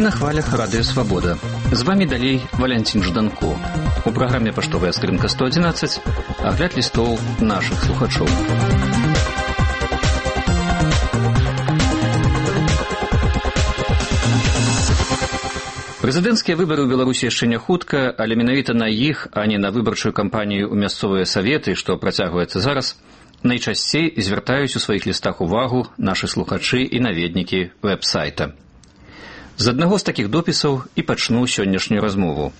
Вы на хвалях Радио Свобода. З вами далей Валентин Жданко. У праграме «Паштовая скрынка 111» агляд лістоў нашых слухачоў. Прэзідэнцкія выбары ў Беларусі яшчэ не хутка, але менавіта на іх, а не на выбарчую кампанію ў мясцовыя саветы, што працягваецца зараз, найчасцей звяртаюць у сваіх лістах увагу нашы слухачы і наведнікі вэб-сайта. З аднаго з такіх допісаў і пачну сённяшнюю размову.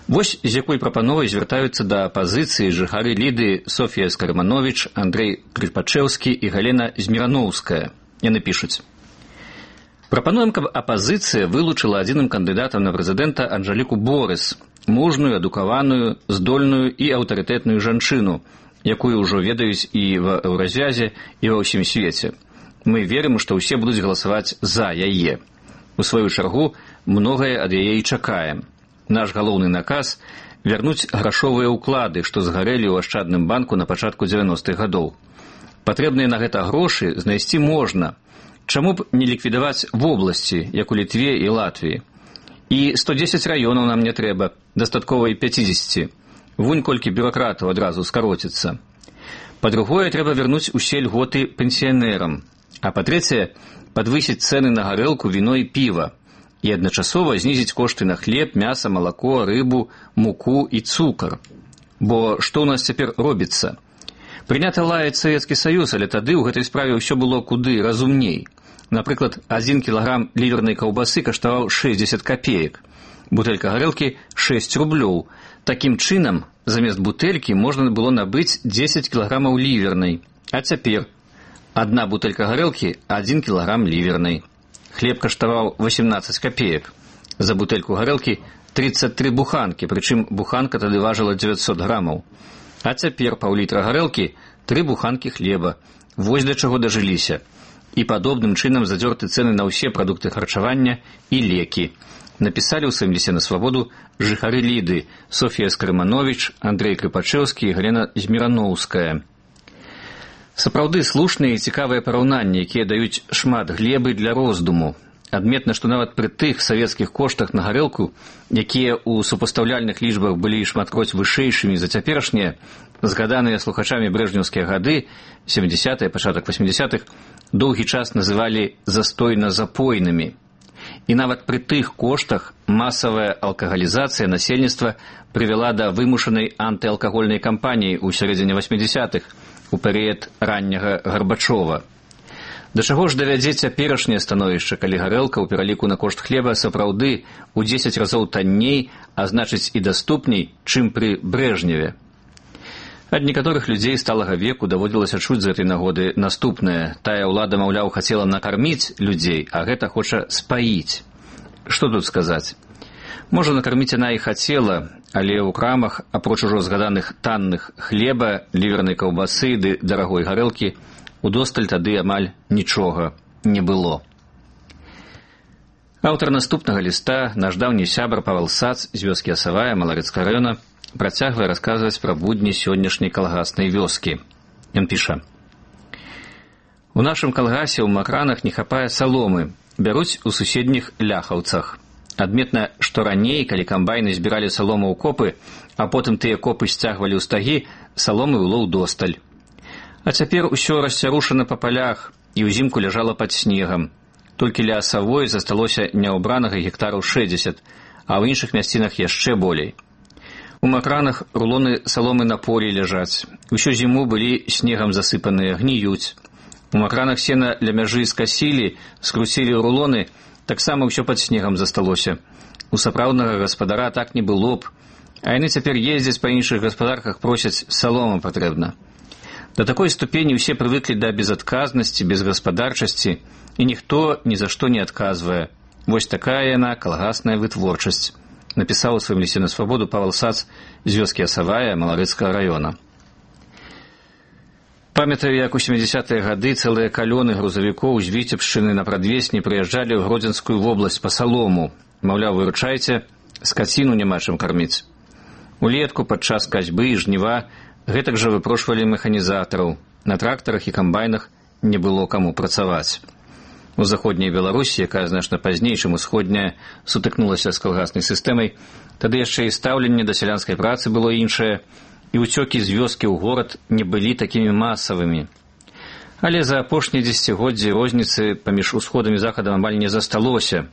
Вось з якой прапановай звяртаюцца да апазіцыі жыхары Ліды Софія Скарманович, Андрэй Крыпачэўскі і Галена Змірановская. Яны пішуць: прапануем, каб апазіцыя вылучыла адзіным кандыдатам на прэзідэнта Анжэліку Борыс, мужную, адукаваную, здольную і аўтарытэтную жанчыну, якую ўжо ведаюць і ва Еўразвязе, і ва ўсім свеце. Мы верым, што ўсе будуць галасаваць за яе. У сваю чаргу, многае ад яе і чакаем. Наш галоўны наказ – вярнуць грашовыя ўклады, што згарэлі ў Ашчадным банку на пачатку 90-х гадоў. Патрэбныя на гэта грошы знайсці можна. Чаму б не ліквідаваць вобласці, як у Літве і Латвіі? І 110 раёнаў нам не трэба, дастаткова і 50. Вунь колькі бюракратаў адразу скароціцца. Па-другое, трэба вярнуць усе льготы пенсіянерам. А па-трэцяе, падвысіць цэны на гарэлку, віно і піва. І адначасова знізіць кошты на хлеб, мяса, малако, рыбу, муку і цукар. Бо што ў нас цяпер робіцца? Прынята лаяць Савецкі Саюз, але тады ў гэтай справе ўсё было куды разумней. Напрыклад, 1 кілаграм лівернай каўбасы каштаваў 60 копеек. Бутэлька гарэлкі – 6 рублёў. Такім чынам, замест бутэлькі можна было набыць 10 кілаграмаў лівернай. А цяпер адна бутэлька гарэлкі – 1 кілаграм лівернай. Хлеб каштаваў 18 копеек. За бутэльку гарэлкі 33 буханкі, прычым буханка тады важыла 900 грамаў. А цяпер паўлітра гарэлкі, 3 буханкі хлеба. Вось да чаго дажыліся. І падобным чынам задзёрты цэны на ўсе прадукты харчавання і лекі. Напісалі ў сваім лісце на свабоду жыхары Ліды Софія Скарманович, Андрэй Крыпачэўскі і Галена Змірановская. Сапраўды слушныя і цікавыя параўнанні, якія даюць шмат глебы для роздуму. Адметна, што нават пры тых савецкіх коштах на гарэлку, якія ў супастаўляльных лічбах былі шматкроць вышэйшымі за цяперашнія, згаданыя слухачамі брэжнеўскія гады, 70-е, пачатак 80-х, доўгі час называлі застойна-запойнымі. І нават пры тых коштах масавая алкагалізацыя насельніцтва прывяла да вымушанай антыалкагольнай кампаніі ў сярэдзіне 80-х, у перыяд ранняга Гарбачова. Да чаго ж давядзе цяперашняе становішча, калі гарэлка ў пераліку на кошт хлеба сапраўды ў 10 разоў танней, а значыць і даступней, чым пры Брэжневе. Ад некаторых людзей сталага веку даводзілася чуць з гэтай нагоды наступнае. Тая ўлада, маўляў, хацела накарміць людзей, а гэта хоча спаіць. Што тут сказаць? Можа, накарміць яна і хацела, але ў крамах, апроч ужо згаданых танных хлеба, лівернай каўбасы ды дарагой гарэлкі, удосталь тады амаль нічога не было. Аўтар наступнага ліста, наш даўні сябар Павел Сац з вёскі Асавая Маларэцкага раёна, працягвае расказваць пра будні сённяшняй калгаснай вёскі. Ён піша: у нашым калгасе ў макранах не хапае саломы, бяруць у суседніх ляхаўцах. Адметна, што раней, калі камбайны збіралі салому ў копы, а потым тыя копы сцягвалі ў стагі, саломы было ўдосталь. А цяпер усё расцярушана па палях і ўзімку ляжала пад снегам. Толькі ля Асавой засталося няўбранага гектараў 60, а ў іншых мясцінах яшчэ болей. У макранах рулоны саломы на полі ляжаць. Усю зіму былі снегам засыпаныя, гніюць. У макранах сена ля мяжы скасілі, скруцілі рулоны, таксама ўсё пад снегам засталося. У сапраўднага гаспадара так не было б. А яны цяпер ездзяць па іншых гаспадарках, просяць, салома патрэбна. Да такой ступені ўсе прывыклі да безадказнасці, безгаспадарчасці, і ніхто ні за што не адказвае. Вось такая яна калгасная вытворчасць. Напісаў у сваім лісце на свабоду Павел Сац з вёскі Асавая Маларэцкага раёна. Памятаю, як у 70-е гады цэлыя калёны грузавікоў з Віцебшчыны на прадвесні прыязджалі ў Гродзенскую вобласць па салому. Маўляў, выручайце, скаціну няма чым карміць. Улетку падчас касьбы і жніва гэтак жа выпрошвалі механізатараў. На трактарах і камбайнах не было каму працаваць. У заходняй Беларусі, якая значна пазней, чым усходняя, сутыкнулася з калгаснай сістэмай, тады яшчэ і стаўленне да сялянскай працы было іншае, і ўцёкі з вёскі ў горад не былі такімі масавымі. Але за апошнія дзесяцігоддзі розніцы паміж усходам і захадам амаль не засталося.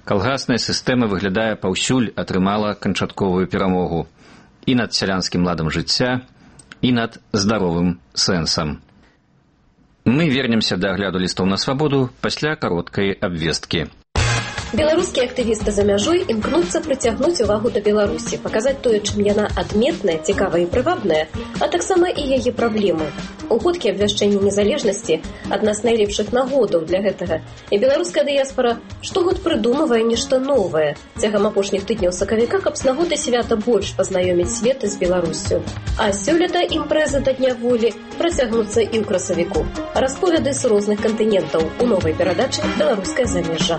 Калгасная сістэма выглядае паўсюль атрымала канчатковую перамогу і над сялянскім ладам жыцця, і над здаровым сэнсам. Мы вернемся да агляду лістоў на свабоду пасля кароткай абвесткі. Беларускія актывісты за мяжой імкнуцца прыцягнуць увагу да Беларусі, паказаць тое, чым яна адметная, цікавая і прывабная, а таксама і яе праблемы. У годкі абвяшчэння незалежнасці адна з найлепшых нагодаў для гэтага. І беларуская дыяспара штогод прыдумвае нешта новае. Цягам апошніх тыдняў сакавіка, каб з нагоды свята больш пазнаёміць свет з Беларуссю. А сёлета імпрэзы да Дня волі працягнуцца і ў красавіку. Расповеды з розных кантынентаў у новай перадачы «Беларускае замежжа».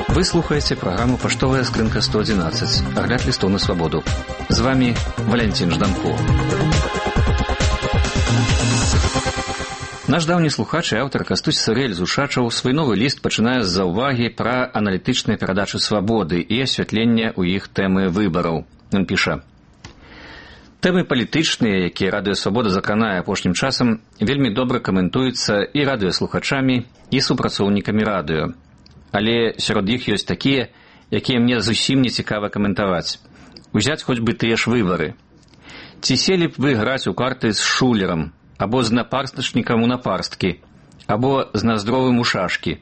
Вы слухаеце праграму «Паштовая скрынка 111», агляд лістоў на свабоду. З вами Валянцін Жданко. Наш даўні слухач і аўтар Кастусь Сырэль з Ушачаў свой новы ліст пачынае з заўвагі пра аналітычныя перадачы свабоды і асвятленне ў іх тэмы выбараў. Ён піша: тэмы палітычныя, якія радыёсвабода закранае апошнім часам, вельмі добра каментуюцца і радыёслухачамі, і супрацоўнікамі радыё. Але сярод іх ёсць такія, якія мне зусім не цікава каментаваць. Узяць хоць бы тыя ж выбары. Ці селі б вы граць у карты з шулерам, або з напарстачнікам у напарсткі, або з наздровым у шашкі.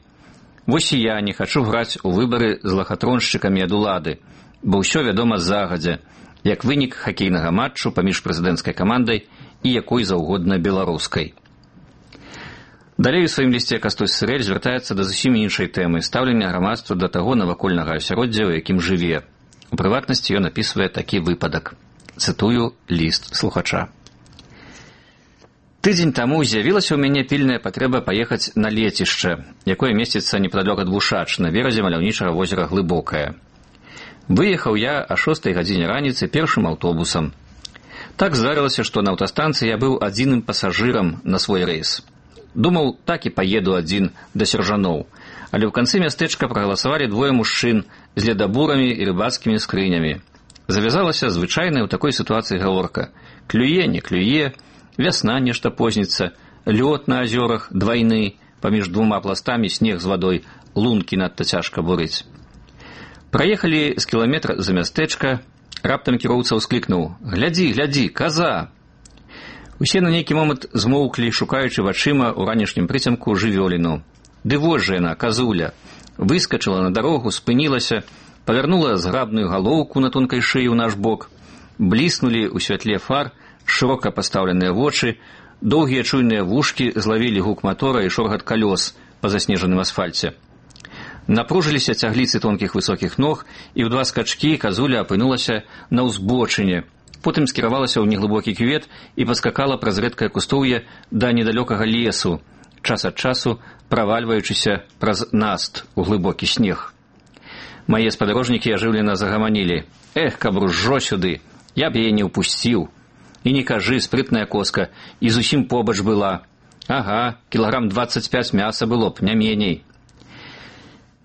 Вось і я не хачу граць у выбары з лахатроншчыкамі ад улады, бо ўсё вядома загадзя, як вынік хакейнага матчу паміж прэзідэнцкай камандай і якой заўгодна беларускай. Далей у сваім лісце Кастусь Сырэль звяртаецца да зусім іншай тэмы стаўлення грамадства да таго навакольнага асяроддзя, у якім жыве. У прыватнасці ён апісвае такі выпадак. Цытую ліст слухача. Тыдзень таму з'явілася ў мяне пільная патрэба паехаць на лецішча, якое месціцца непадалёк ад Вушач, на беразе маляўнічага возера Глыбокае. Выехаў я о 6 гадзіне раніцы першым аўтобусам. Так здарылася, што на аўтастанцыі я быў адзіным пасажырам на свой рэйс. Думаў, так і паеду адзін да Сяржаноў, але ў канцы мястэчка прагаласавалі двое мужчын з ледабурамі і рыбацкімі скрынямі. Завязалася звычайная ў такой сітуацыі гаворка. Клюе, не клюе, вясна нешта позніцца, лёд на азёрах двайны, паміж двума пластамі снег з вадой, лункі надта цяжка бурыць. Праехалі з кіламетра за мястэчка, раптам кіроўца ўсклікнуў: «Глядзі, глядзі, каза!» Усе на нейкі момант змоўклі, шукаючы вачыма ў ранішнім прыцемку жывёліну. Ды вось жа яна, казуля. Выскачыла на дарогу, спынілася, павярнула зграбную галоўку на тонкай шыі ў наш бок. Бліснулі ў святле фар шырока пастаўленыя вочы, доўгія чуйныя вушкі злавілі гук матора і шоргат калёс па заснежаным асфальце. Напружыліся цягліцы тонкіх высокіх ног, і ў два скачкі казуля апынулася на ўзбочыне. Потым скіравалася ў неглыбокі кювет і паскакала праз рэдкае кустоўе да недалёкага лесу, час ад часу правальваючыся праз наст у глыбокі снег. Мае спадарожнікі ажыўлена загаманілі: «Эх, каб ружжо сюды, я б яе не ўпусціў. І не кажы, спрытная коска, і зусім побач была. Ага, кілаграм 25 мяса было б, не меней».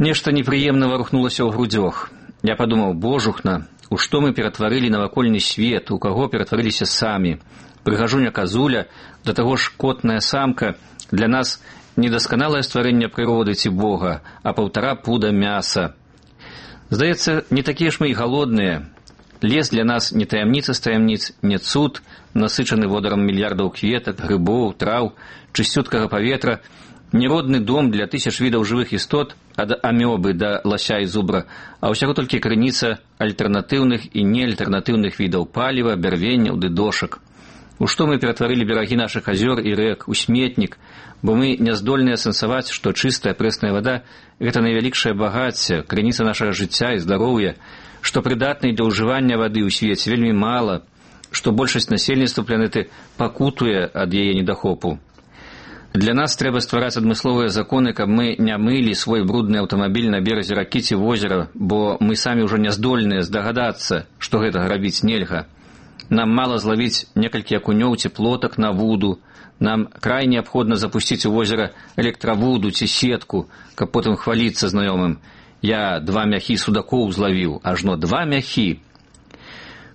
Нешта непрыемна варухнулася ў грудзёх. Я падумаў: божухна, у што мы ператварылі навакольны свет, у каго ператварыліся самі. Прыгажуня казуля, да таго ж котная самка, для нас недасканалае стварэнне прыроды ці Бога, а 1,5 пуда мяса. Здаецца, не такія ж мы і галодныя. Лес для нас не таямніца з таямніц, не цуд, насычаны водарам мільярдаў кветак, грыбоў, траў, чысцюткага паветра, не родны дом для тысяч відаў жывых істот, ад амёбы да лася і зубра, а ўсяго толькі крыніца альтэрнатыўных і неальтэрнатыўных відаў паліва, бярвенняў ды дошак. У што мы ператварылі берагі нашых азёр і рэк, у сметнік, бо мы не здольныя сэнсаваць, што чыстая прэсная вада – гэта найвялікшае багацце, крыніца нашага жыцця і здароўя, што прыдатнай для ўжывання вады ў свеце вельмі мала, што большасць насельніцтва планеты пакутуе ад яе недахопу. Для нас трэба ствараць адмысловыя законы, каб мы не мылі свой брудны аўтамабіль на беразе ракі ці возера, бо мы самі ўжо не здольныя здагадацца, што гэтага рабіць нельга. Нам мала зловіць некалькі акунёў ці плотак на вуду. Нам край неабходна запусціць у возера электравуду ці сетку, каб потым хваліцца знаёмым. Я 2 мяхі судакоў злавіў, ажно 2 мяхі.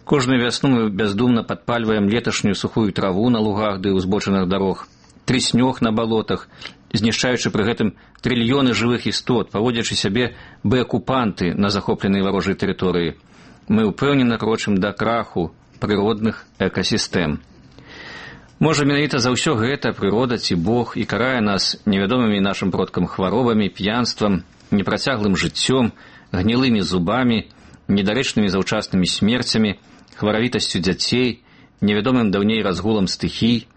Кожную вясну мы бяздумна падпальваем леташнюю сухую траву на лугах ды ўзбочынах дарог, трыснёг на балотах, знішчаючы пры гэтым трыльёны жывых істот, паводзячы сябе бы акупанты на захопленай варожай тэрыторыі. Мы ўпэўнена крочым да краху прыродных экасістэм. Можа, менавіта за ўсё гэта прырода ці Бог і карае нас невядомымі нашым продкам хваробамі, п'янствам, непрацяглым жыццём, гнілымі зубамі, недарэчнымі заўчаснымі смерцямі, хваравітасцю дзяцей, невядомым даўней разгулам стыхій.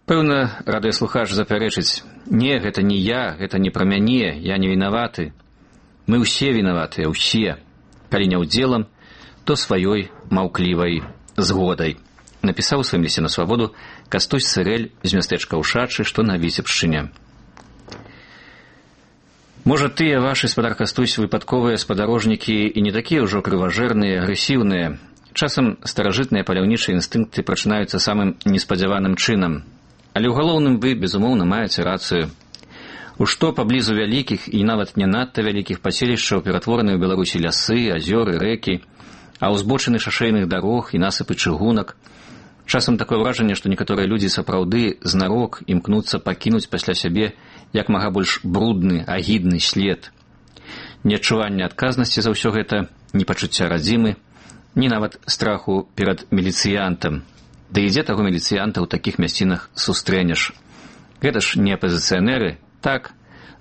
Пэўна, радыёслухач запярэчыць: «Не, гэта не я, гэта не пра мяне, я не вінаваты». Мы ўсе вінаватыя, ўсе. Калі не ўдзелам, то сваёй маўклівай згодай. Напісаў у сваім лісце на свабоду Кастусь Цырэль з мястэчка Ушачы, што на Віцебшчыне. Можа, тыя вашы, спадар Кастусь, выпадковыя спадарожнікі і не такія ўжо крыважэрныя, агрэсіўныя. Часам старажытныя паляўнічыя інстынкты прачынаюцца самым неспадзяваным чынам. Але ў галоўным вы, безумоўна, маеце рацыю. У што паблізу вялікіх і нават не надта вялікіх паселішчаў ператвораны ў Беларусі лясы, азёры, рэкі, а ўзбочыны шашэйных дарог і насыпы чыгунак. Часам такое ўражанне, што некаторыя людзі сапраўды знарок імкнуцца пакінуць пасля сябе як мага больш брудны, агідны след. Неадчуванне адказнасці за ўсё гэта, ні пачуцця радзімы, ні нават страху перад міліцыянтам. Да ідзе таго міліцыянта ў такіх мясцінах сустрэнеш. Гэта ж не апазіцыянеры, так,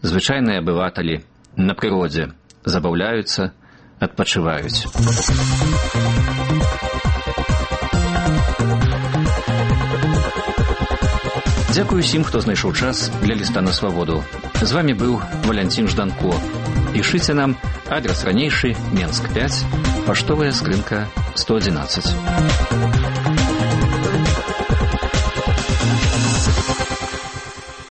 звычайныя абываталі на прыродзе забаўляюцца, адпачываюць. Дзякую усім, хто знайшоў час для ліста на свабоду. З вамі быў Валянцін Жданко. Пішыце нам, адрес ранейшы, Менск 5, паштовая скрынка 111.